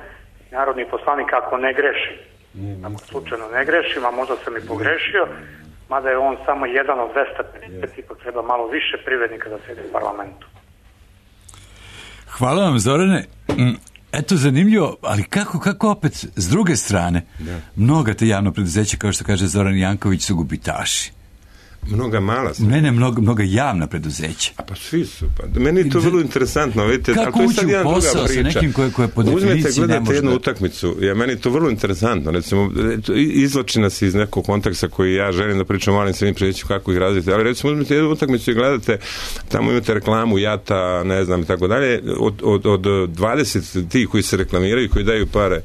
narodni poslanik, ako ne grešim, ako slučajno ne grešim, a možda sam i pogrešio, mada je on samo jedan od 250, ipak treba malo više privrednika da sede u parlamentu. Hvala vam, Zorane. Eto, zanimljivo, ali kako opet s druge strane, mnoga te javno preduzeća, kao što kaže Zoran Janković, su gubitaši. Mnoga mala su. Ne, mnoga javna preduzeća. Pa svi su. Meni je to vrlo interesantno. Vidite, kako to je ući u posao sa nekim koje po definiciji ne može jednu utakmicu. Meni je to vrlo interesantno. Recimo, izvlači nas iz nekog konteksta koji ja želim da pričam o malim srednjim preduzećima kako ih razviti. Ali recimo, uzmete jednu utakmicu i gledate, tamo imate reklamu Jata, ne znam, i tako dalje. Od 20 tih koji se reklamiraju, koji daju pare,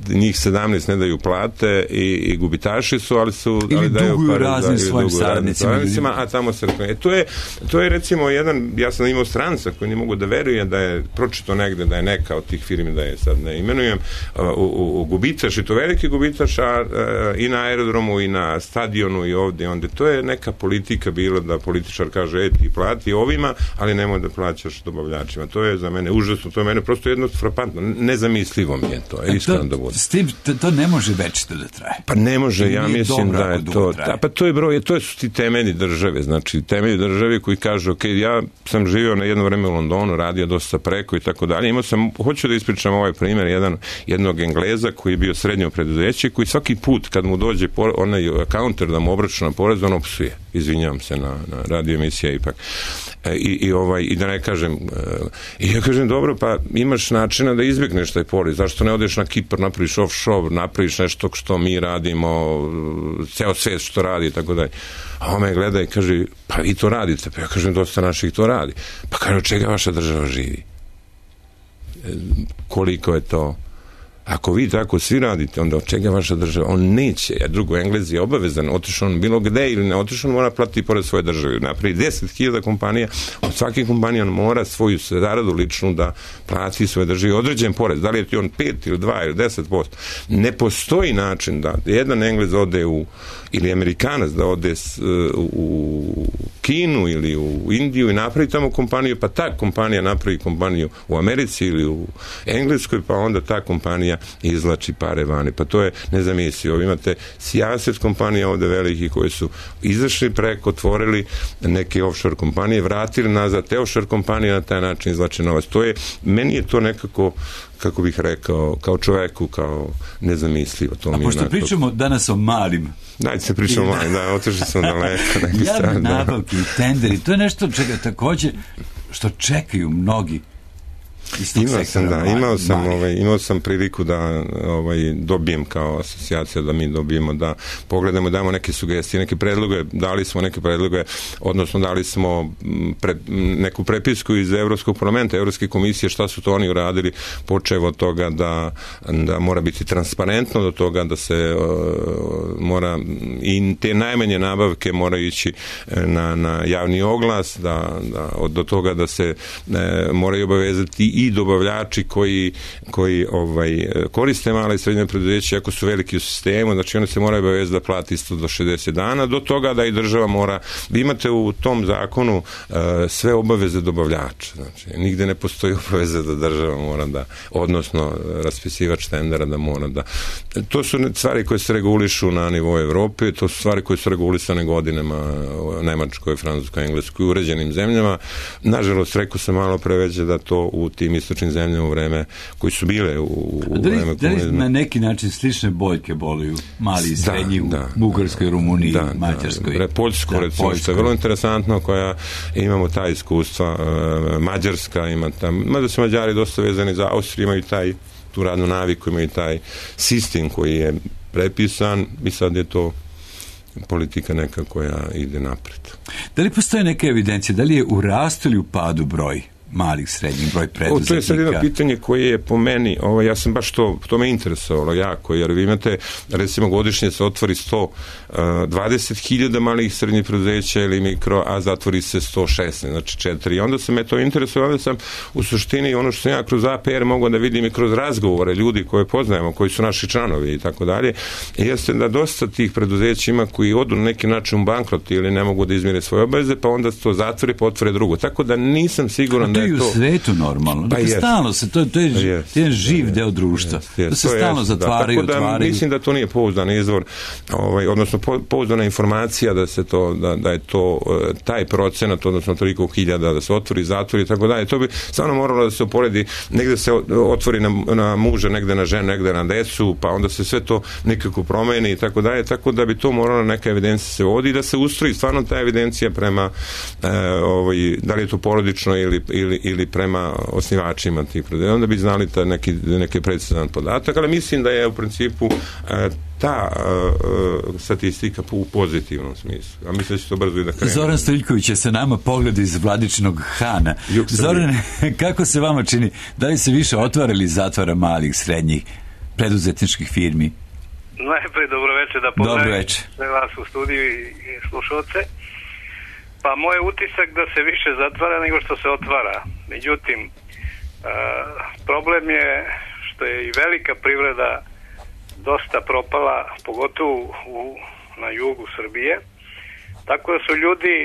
njih 17 ne daju plate i gubitaši su, ali daju pare svojim saradnicima, a tamo se reklamira. To je recimo jedan, ja sam imao stranca koji ne mogu da verujem da je pročito negde da je neka od tih firmi, da je sad ne imenujem, gubitaš, i to veliki gubitaš, i na aerodromu i na stadionu i ovde, onda to je neka politika bila da političar kaže ti plati ovima, ali nemoj da plaćaš dobavljačima. To je za mene užasno, to je mene prosto jedno frapantno, nezamislivo mi je to, iskreno da bude. S tim, to ne može večito da traje. Pa ne može, ja mislim da je to, pa to je to su ti temelji države, znači temelji države koji kažu, ok, ja sam živio na jedno vreme u Londonu, radio dosta preko i tako dalje, hoću da ispričam ovaj primjer jednog Engleza koji je bio srednje preduzeće, koji svaki put kad mu dođe onaj counter da mu obračuna porez, on opsuje, izvinjavam se na radio emisija ipak, i da ne kažem, i ja kažem, dobro, pa imaš načina da izbjegneš taj porez, zašto ne odeš na Kipar, napraviš offshore, napraviš nešto što mi radimo, ceo svet što radi i tako dalje. A on me gleda i kaže, pa vi to radite. Pa ja kažem, dosta naših to radi. Pa kaže, od čega vaša država živi? Koliko je to? Ako vi tako svi radite, onda od čega vaša država? On neće, a drugo, Englez je obavezan, otišao on bilo gde ili ne otišao, on mora platiti pored svoje države. Napravi 10.000 kompanija, od svake kompanije on mora svoju zaradu ličnu da plati svoje države određen porez. Da li je ti on 5 ili 2 ili 10%? Ne postoji način da jedan Englez ode ili Amerikanac da ode u Kinu ili u Indiju i napravi tamo kompaniju, pa ta kompanija napravi kompaniju u Americi ili u Engleskoj, pa onda ta kompanija izvlači pare vani. Pa to je nezamislivo. Imate sijaset kompanija ovde velikih koji su izašli preko, otvorili neke offshore kompanije, vratili nazad te offshore kompanije, na taj način izvlače novac. Meni je to nekako, kako bih rekao, kao čoveku, kao nezamislivo. A pošto pričamo danas o malim, dajte se pričamo o malim, otišli sam daleko. Javne nabavke i tenderi, to je nešto čega takođe što čekaju mnogi. Imao sam priliku da dobijem kao asocijacija, da mi dobijemo, da pogledamo, damo neke sugestije, neke predloge, dali smo neke predloge, odnosno dali smo neku prepisku iz Evropskog parlamenta, Evropske komisije, šta su to oni uradili, počev od toga da mora biti transparentno, do toga da se mora i te najmanje nabavke moraju ići na javni oglas, do toga da se moraju obavezati i dobavljači koji koriste male i srednje preduzeće, ako su veliki u sistemu, znači one se moraju obavezati da plati isto do 60 dana, do toga da i država mora, vi imate u tom zakonu sve obaveze dobavljača, znači nigde ne postoji obaveze da država mora da, odnosno raspisivač tendera da mora da, to su stvari koje se regulišu na nivou Evrope, to su stvari koje su regulisane godinama u Nemačkoj, Francuskoj, Engleskoj, uređenim zemljama. Nažalost, rekao sam malo preveđe da to u tim istočnim zemljama u vreme koji su bile u vreme komunizma. Da li na neki način slične boljke boluju mali i srednji u Bugarskoj, Rumuniji, Mađarskoj? Poljsko, recimo, što je vrlo interesantno, koja imamo ta iskustva. Mađarska ima tam, mada su Mađari dosta vezani za Austriju, imaju tu radnu naviku, imaju taj sistem koji je prepisan i sad je to politika neka koja ide napred. Da li postoje neke evidencije, da li je u rastu ili u padu broj malih, srednjih, broj preduzetnika? To je sad jedno pitanje koje je po meni, ja sam baš to me interesovalo jako, jer vi imate, recimo godišnje se otvori 120.000 malih i srednjih preduzeća ili mikro, a zatvori se 116, znači 4. I onda se me to interesovalo, onda sam u suštini ono što sam ja kroz APR mogao da vidim i kroz razgovore ljudi koje poznajemo, koji su naši članovi i tako dalje, jeste da dosta tih preduzeća ima koji odu na neki način u bankrot ili ne mogu da izmire svoje obaveze, pa onda to zatvori, pa otvore drugo. Tako da nisam siguran da je to... u svetu normalno. Dakle, stalno se, to je jedan živ deo društva. To se stalno zatvaraju, otvaraju. Tako da mislim da to nije pouzdan izvor, odnosno pouzdana informacija da se to, da je to taj procenat, odnosno toliko hiljada da se otvori, zatvori i tako dalje. To bi stvarno moralo da se uporedi, negde se otvori na muža, negde na ženu, negde na decu, pa onda se sve to nekako promeni i tako dalje, tako da bi to moralo neka evidencija se vodi i da se ustroji stvarno ta evidencija prema da li je to porodično ili prema osnivačima tih preduzeća, onda bi znali neki precizan podatak, ali mislim da je u principu ta statistika u pozitivnom smislu. A mislim da će to brzo i da krene. Zoran Stojiljković je sa nama, pogled iz Vladičinog Hana. Zoran, kako se vama čini? Da li se više otvara ili zatvara malih, srednjih preduzetničkih firmi? Najprej dobroveče, da pozdravim sve vas u studiju i slušalce. Pa moj utisak da se više zatvara nego što se otvara. Međutim, problem je što je i velika privreda dosta propala, pogotovo na jugu Srbije, tako da su ljudi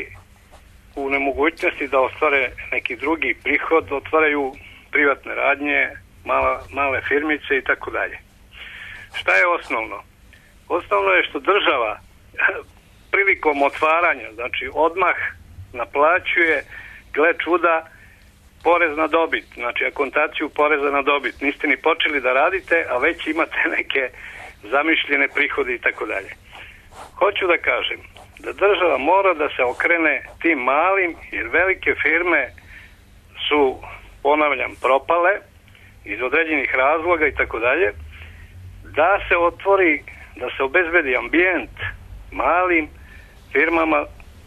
u nemogućnosti da ostvare neki drugi prihod, otvaraju privatne radnje, male firmice i tako dalje. Šta je osnovno? Osnovno je što država prilikom otvaranja, znači odmah naplaćuje, gle čuda, porez na dobit, znači akontaciju poreza na dobit. Niste ni počeli da radite, a već imate neke zamišljene prihode i tako dalje. Hoću da kažem da država mora da se okrene tim malim, jer velike firme su, ponavljam, propale iz određenih razloga i tako dalje, da se otvori, da se obezbedi ambijent malim firmama,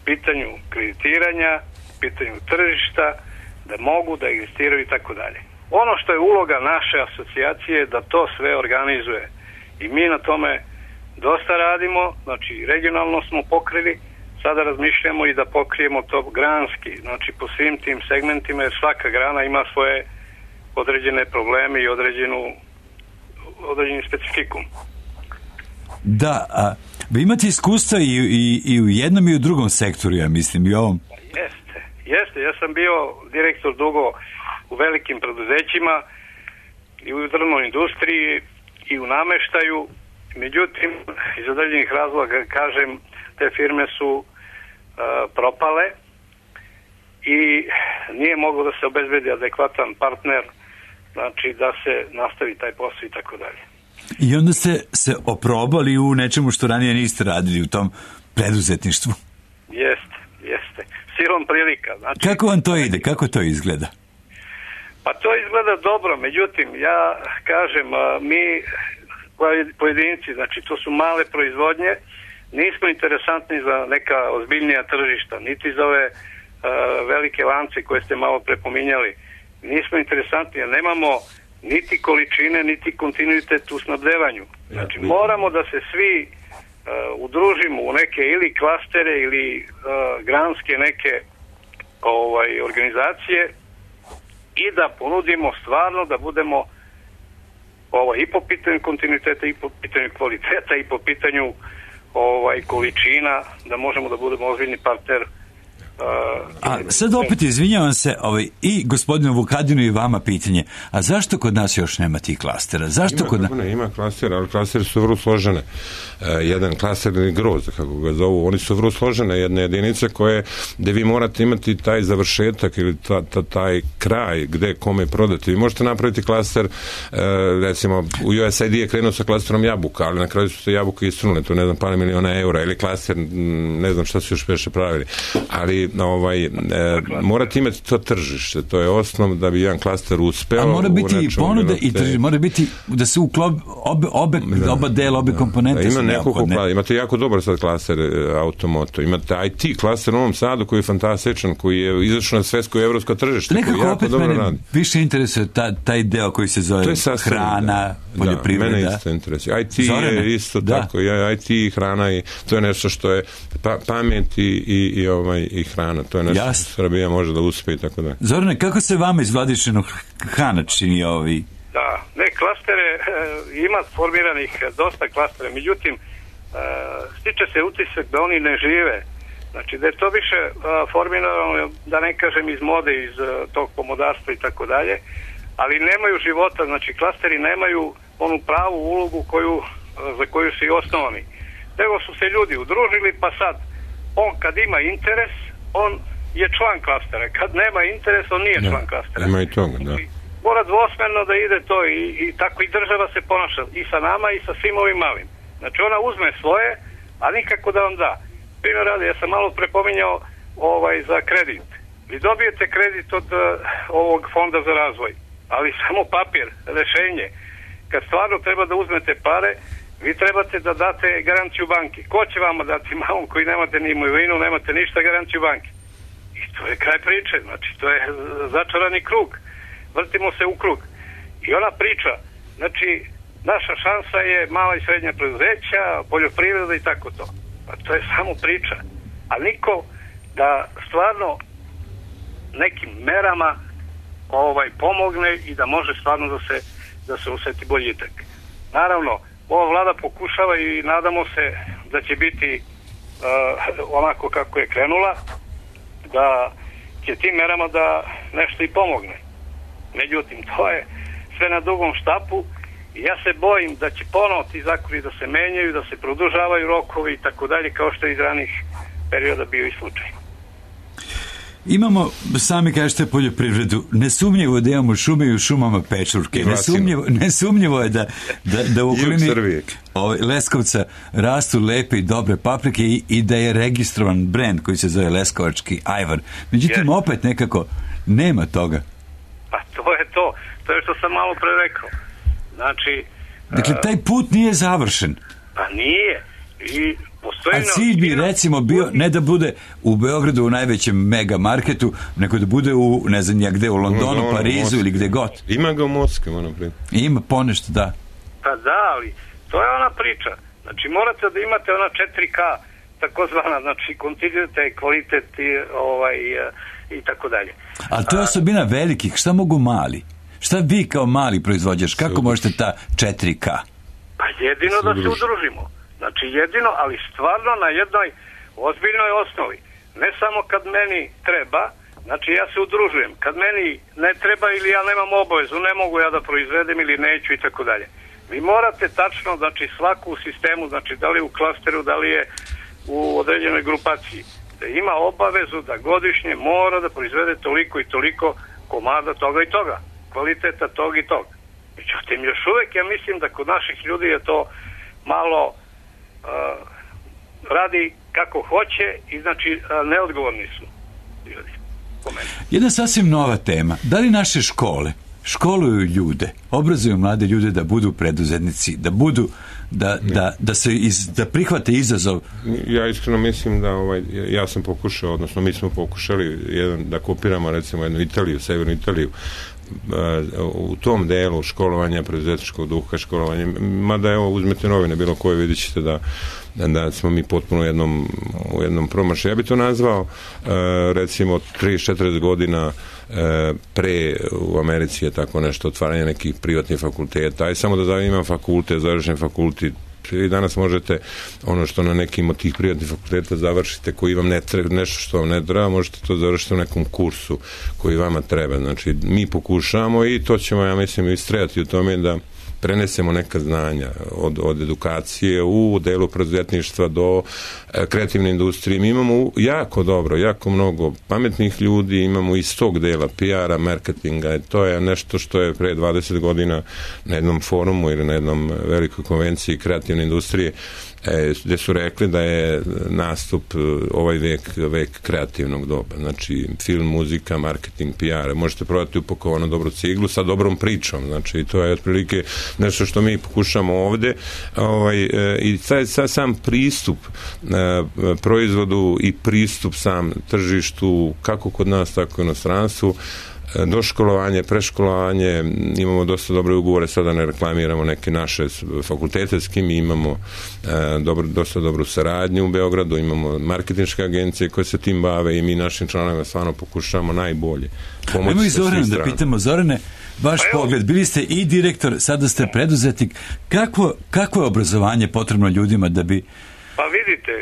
pitanju kreditiranja, pitanju tržišta, da mogu da egzistiraju i tako dalje. Ono što je uloga naše asocijacije je da to sve organizuje i mi na tome dosta radimo, znači regionalno smo pokrili, sada razmišljamo i da pokrijemo to granski, znači po svim tim segmentima, jer svaka grana ima svoje određene probleme i određeni specifikum. Da, vi imate iskustva i u jednom i u drugom sektoru, ja mislim, i ovom. Jeste, ja sam bio direktor dugo u velikim preduzećima i u drvnoj industriji i u nameštaju, međutim, iz određenih razloga, kažem, te firme su propale i nije moglo da se obezbedi adekvatan partner, znači da se nastavi taj posao i tako dalje. I onda ste se oprobali u nečemu što ranije niste radili, u tom preduzetništvu. Jeste. Silom prilika. Znači, kako vam to ide? Kako to izgleda? Pa to izgleda dobro, međutim, ja kažem, mi pojedinci, znači to su male proizvodnje, nismo interesantni za neka ozbiljnija tržišta, niti za ove velike lance koje ste malo prepominjali. Nismo interesantni, jer nemamo niti količine, niti kontinuitet u snabdevanju. Znači, moramo da se svi udružimo u neke ili klastere ili granske neke organizacije i da ponudimo stvarno da budemo i po pitanju kontinuiteta i po pitanju kvaliteta i po pitanju količina, da možemo da budemo ozbiljni partner. A sad opet izvinjavam se i gospodinu Vukadinu i vama pitanje, a zašto kod nas još nema tih klastera? Ima klastera, ali klasteri su vrlo složene. Jedan klaster je groz, kako ga zovu, oni su vrlo složene, jedne jedinice gde vi morate imati taj završetak ili taj kraj gde kome prodati. Vi možete napraviti klaster, recimo u USAID je krenuo sa klasterom jabuka, ali na kraju su se jabuke istrunule, to ne znam, par miliona eura, ili klaster, ne znam šta su još peše pravili, ali morate imati to tržište, to je osnov da bi jedan klaster uspeo. A mora biti i ponuda i tržište, mora biti da se oba dela, obe komponente ima su neophodne. Imate jako dobar sad klaster automoto, imate IT klaster u Novom Sadu koji je fantastičan, koji je izašao na svetsko i evropsko tržište, koji jako dobro radi. Više interesuje taj deo koji se zove hrana, poljoprivreda. Mene isto interesuje. IT je isto tako, IT i hrana i to je nešto što je pamet i hrana, to je nešto što Srbija može da uspe i tako da. Zorane, kako se vama iz Vladičinog Hana čini ovi? Da, klastere, ima formiranih dosta klastera, međutim, stiče se utisak da oni ne žive. Znači, da je to više formirano, da ne kažem iz mode, iz tog pomodarstva i tako dalje, ali nemaju života, znači klasteri nemaju onu pravu ulogu za koju su i osnovani. Nego su se ljudi udružili, pa sad, on kad ima interes, on je član klastera. Kad nema interes, on nije član klastera. Ima i toga, da. Mora dvosmerno da ide to i tako i država se ponaša i sa nama i sa svim ovim malim. Znači ona uzme svoje, a nikako da vam da. Primjer radi, ja sam malo prepominjao za kredit. Vi dobijete kredit od ovog fonda za razvoj, ali samo papir, rešenje. Kad stvarno treba da uzmete pare, vi trebate da date garanciju banki. Ko će vama dati malom koji nemate ni imovinu, nemate ništa, garanciju banki? I to je kraj priče, znači to je začarani krug. Vrtimo se u krug. I ona priča, znači naša šansa je mala i srednja preduzeća, poljoprivreda i tako to. Pa to je samo priča. A niko da stvarno nekim merama pomogne i da može stvarno da se oseti boljitak. Naravno, ova vlada pokušava i nadamo se da će biti onako kako je krenula, da će tim merama da nešto i pomogne. Međutim, to je sve na dugom štapu i ja se bojim da će ponovo ti zakoni da se menjaju, da se produžavaju rokovi i tako dalje, kao što je iz ranih perioda bio i slučaj. Imamo, sami kažete, poljoprivredu. Nesumnjivo da imamo šume i u šumama pečurke. Nesumnjivo je da u okolini Leskovca rastu lepe i dobre paprike i da je registrovan brend koji se zove Leskovački ajvar. Međutim, opet nekako nema toga. Pa to je to. To je što sam malo pre rekao. Znači... Dakle, taj put nije završen. Pa nije. I a cilj bi recimo bio ne da bude u Beogradu u najvećem mega marketu, nego da bude u, ne znam ja gde, u Londonu, Parizu ili gde god. Ima ga u Moskvi, moram prije. Ima ponešto, da. Pa da, ali to je ona priča. Znači morate da imate ona 4K takozvana, znači kontinuitet, kvalitet i tako dalje. Ali to je osobina velikih, šta mogu mali? Šta vi kao mali proizvođač, kako možete ta 4K? Pa jedino da se udružimo. Znači jedino, ali stvarno na jednoj ozbiljnoj osnovi. Ne samo kad meni treba, znači ja se udružujem. Kad meni ne treba ili ja nemam obavezu, ne mogu ja da proizvedem ili neću i tako dalje. Vi morate tačno, znači svaku u sistemu, znači da li u klasteru, da li je u određenoj grupaciji, da ima obavezu da godišnje mora da proizvede toliko i toliko komada toga i toga, kvaliteta toga i toga. Međutim, još uvek ja mislim da kod naših ljudi je to malo radi kako hoće i znači neodgovorni su ljudi po meni. Jedna sasvim nova tema. Da li naše škole školuju ljude, obrazuju mlade ljude da budu preduzetnici, da budu da prihvate izazov? Ja iskreno mislim da ja sam pokušao, odnosno mi smo pokušali da kopiramo recimo jednu Italiju, severnu Italiju, u tom delu školovanja, preduzetničkog duha školovanja, mada evo uzmete novine bilo koje, vidjet ćete da smo mi potpuno u jednom promašaju. Ja bi to nazvao recimo 30-40 godina pre u Americi je tako nešto, otvaranje nekih privatnih fakulteta, aj samo da imam fakultet, završen fakultet. Vi danas možete ono što na nekim od tih privatnih fakulteta završite koji vam ne treba, nešto što vam ne treba, možete to završiti u nekom kursu koji vama treba. Znači, mi pokušavamo i to ćemo, ja mislim, istrajati u tome da prenesemo neka znanja od edukacije u delu preduzetništva do kreativne industrije. Mi imamo jako mnogo pametnih ljudi, imamo iz tog dela PR-a, marketinga, to je nešto što je pre 20 godina na jednom forumu ili na jednom velikoj konvenciji kreativne industrije gde su rekli da je nastup ovaj vek kreativnog doba. Znači, film, muzika, marketing, PR. Možete prodati upakovanu dobru ciglu sa dobrom pričom. Znači, to je otprilike nešto što mi pokušamo ovde. I sam pristup proizvodu i pristup sam tržištu, kako kod nas, tako i u inostranstvu, doškolovanje, preškolovanje, imamo dosta dobre ugovore, sada ne reklamiramo neke naše fakultete s kim imamo dosta dobru saradnju u Beogradu, imamo marketinške agencije koje se tim bave i mi našim članovima stvarno pokušamo najbolje pomoći. Ajmo i Zorana da pitamo. Zorane, vaš pogled, bili ste i direktor, sada ste preduzetnik, kako je obrazovanje potrebno ljudima da bi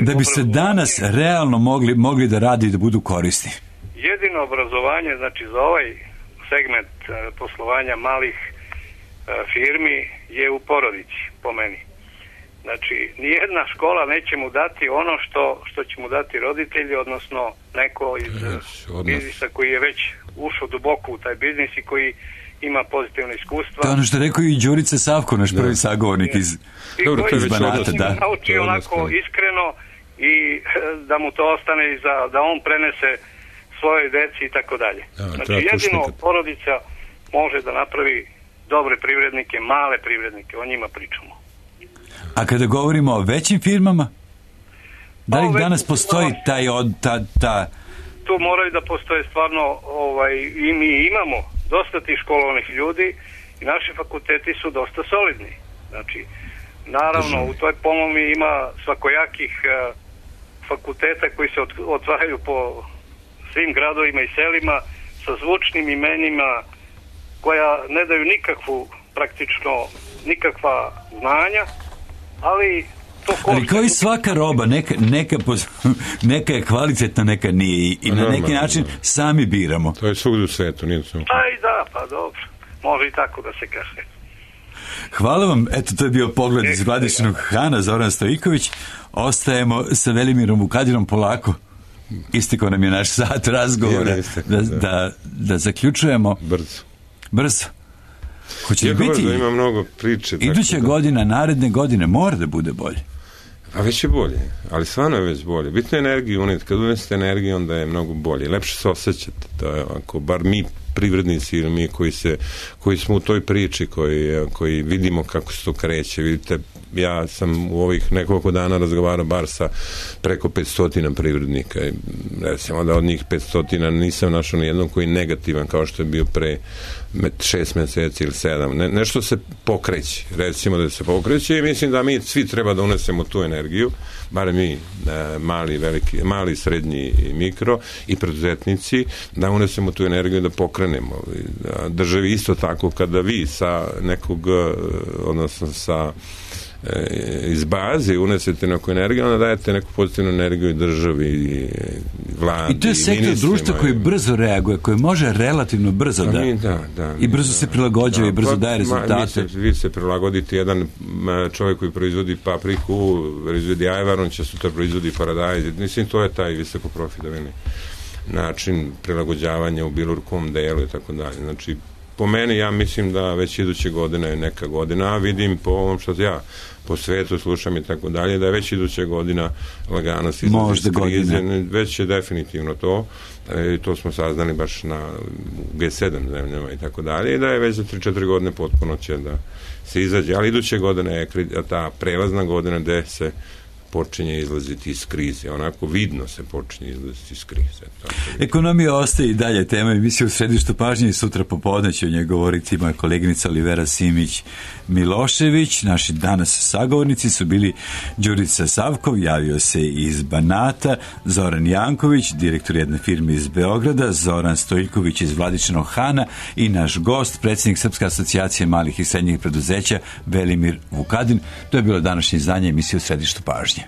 da bi se danas realno mogli da radi i da budu korisni? Jedino obrazovanje, znači za ovaj segment poslovanja malih firmi je u porodici, po meni. Znači, nijedna škola neće mu dati ono što će mu dati roditelji, odnosno neko iz biznisa koji je već ušao duboko u taj biznis i koji ima pozitivno iskustva. To je ono što je rekao i Đurica Savko, naš prvi sagovornik iz Banata. Da nauči onako iskreno i da mu to ostane i da on prenese svoje deci i tako dalje. Znači, jedino porodica može da napravi dobre privrednike, male privrednike, o njima pričamo. A kada govorimo o većim firmama, da li danas postoji Tu moraju da postoje stvarno, i mi imamo dosta tih školovanih ljudi i naši fakulteti su dosta solidni. Znači, naravno, u toj pomomi ima svakojakih fakulteta koji se otvaraju po svim gradovima i selima sa zvučnim imenima koja ne daju nikakva znanja, ali to košta. Ali kao i svaka roba, neka je kvalitetna, neka nije i na neki način sami biramo. To je svugdje u svetu, nije to. Pa dobro, može i tako da se kaže. Hvala vam, eto to je bio pogled iz Vladičinog Hana, Zoran Stojiković. Ostajemo sa Velimirom Vukadinom polako. Istekao nam je naš sat razgovora. Da zaključujemo. Brzo. Hoće li biti? Ima mnogo priče. Iduća godina, naredne godine mora da bude bolje. A već je bolje, ali stvarno je već bolje. Bitno je energiju uneti. Kad unesete energiju, onda je mnogo bolje. Lepše se osjećate. To je ako bar mi privrednici ili mi koji smo u toj priči, koji vidimo kako se to kreće. Vidite, ja sam u ovih nekoliko dana razgovarao bar sa preko 500 privrednika. Recimo da od njih 500 nisam našao nijednog koji je negativan kao što je bio pre 6 meseci ili 7. Nešto se pokreće. Recimo da se pokreće i mislim da mi svi treba da unesemo tu energiju, bar mi mali, srednji i mikro i preduzetnici, da unesemo tu energiju da pokrenemo. Državi isto tako kada vi sa nekog, odnosno sa iz baze unesete neku energiju, onda dajete neku pozitivnu energiju i državi i vladi. I to je sektor društva koji brzo reaguje, koji može relativno brzo i brzo se prilagođava i brzo daje rezultate. Vi se prilagodite, jedan čovjek koji proizvodi papriku, proizvodi ajvar, on će sutra proizvodi paradajz. Mislim, to je taj visoko profitabilni način prilagođavanja u bilo kom delu i tako dalje. Znači, po meni, ja mislim da već iduće godine je neka godina, a vidim po ovom što ja po svetu slušam i tako dalje, da je već iduće godina lagano se izlazi iz krize, već je definitivno to, to smo saznali baš na G7 zemljama i tako dalje, i da je već za 3-4 godine potpuno će da se izađe, ali iduće godine je ta prelazna godina gde se počinje izlaziti iz krize. Onako vidno se počinje izlaziti iz krize. Ekonomija ostaje i dalje tema emisije u središtu pažnje i sutra popodne će o njoj govoriti moja koleginica Olivera Simić-Milošević. Naši danas sagovornici su bili Đurica Savkov, javio se iz Banata, Zoran Janković, direktor jedne firme iz Beograda, Zoran Stojiković iz Vladičinog Hana i naš gost, predsjednik Srpske asocijacije malih i srednjih preduzeća Velimir Vukadin. To je bilo današnje izdanje emisije u središtu pažnje.